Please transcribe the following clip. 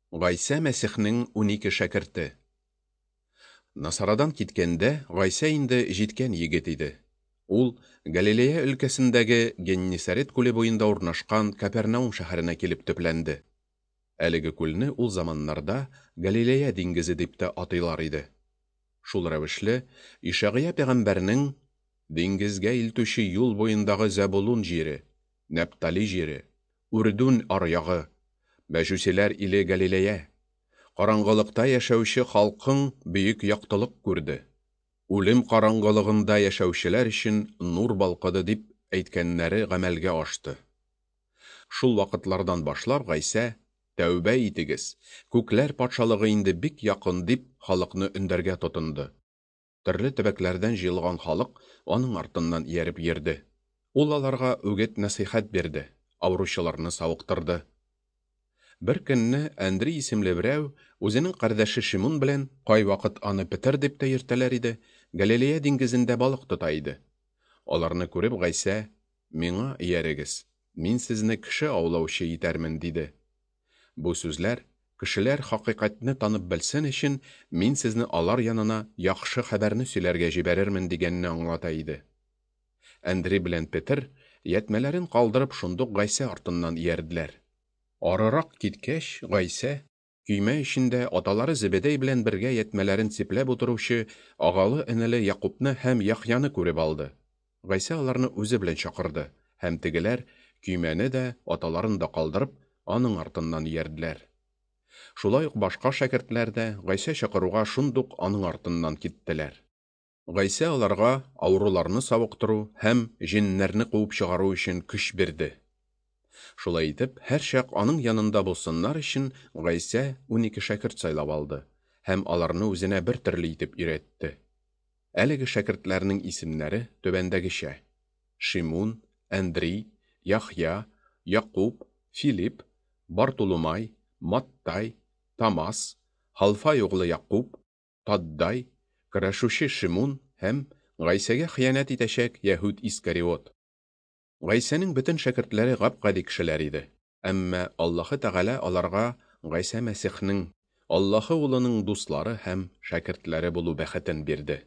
Гайсә Мәсихнең 12 шәкерте. Насарадан киткәндә, Гайсә инде җиткән егет иде. Ул Галилея өлкәсендәге Геннисарет күле буенда урнашкан Капернаум шәһәренә килеп төпләнде. Әлеге күлне ул заманнарда Галилея диңгезе дип тә атыйлар иде. Шул рәвешле, Ишагыя пәйгамбәрнең Диңгезгә илтүче юл буендагы Зәбулун җире, Нәптали җире, Үрдүн аръягы, Мәҗүсиләр иле Галилея, караңгылыкта яшәүче халкың бөек яктылык күрде. Үлем караңгылыгында яшәүчеләр өчен нур балкыды, дип әйткәннәре гамәлгә ашты. Шул вакытлардан башлап Гайсә, Тәүбә итегез, күкләр патшалыгы инде бик якын, дип халыкны өндәргә тотынды. Төрле төбәкләрдән җыелган халык аның артыннан ияреп йөрде. Ул аларга үгет-нәсыйхәт бирде, авыручыларны савыктырды. Бер көнне Әндри исемле берәү үзенең кардәше Шимун белән, кайвакыт аны Петер дип тә йөртәләр иде, Галилея диңгезендә балык тота иде. Аларны күреп Гайсә, Миңа иярегез, мин сезне кеше аулаучы итәрмен, диде. Бу сүзләр, кешеләр хакыйкатьне танып белсен өчен, мин сезне алар янына яхшы хәбәрне сөйләргә җибәрермен дигәнне аңлата иде. Әндри белән Петер, ятьмәләрен калдырып, шундук Гайсә артыннан иярделәр. Арырак киткәч, Гайсә, көймә эчендә аталары Зебедәй белән бергә ятьмәләрен сипләп утыручы агалы-энеле Якубны һәм Яхъяны күреп алды. Гайсә аларны үзе белән чакырды, һәм тегеләр, көймәне дә, аталарын да калдырып, аның артыннан иярделәр. Шулай ук башка шәкертләр дә Гайсә чакыруга шундук аның артыннан киттеләр. Гайсә аларга авыруларны савыктыру һәм җеннәрне куып чыгару өчен көч бирде. Шулай итеп, һәрчак аның янында булсыннар өчен Гайсә 12 шәкерт сайлап алды һәм аларны үзенә бер төрле итеп өйрәтте. Әлеге шәкертләрнең исемнәре түбәндәгечә: Шимун, Әндри, Яхъя, Якуб, Филипп, Бартулумай, Маттай, Тамас, Халфай углы Якуб, Таддай, көрәшүче Шимун һәм Гайсәгә хыянәт итәчәк Яһүд Искариот. Гайсәнең бөтен шәкертләре гап-гади кешеләр иде. Әмма Аллаһы Тәгалә аларга Гайсә Мәсихнең, Аллаһы Улының дуслары һәм шәкертләре булу бәхетен бирде.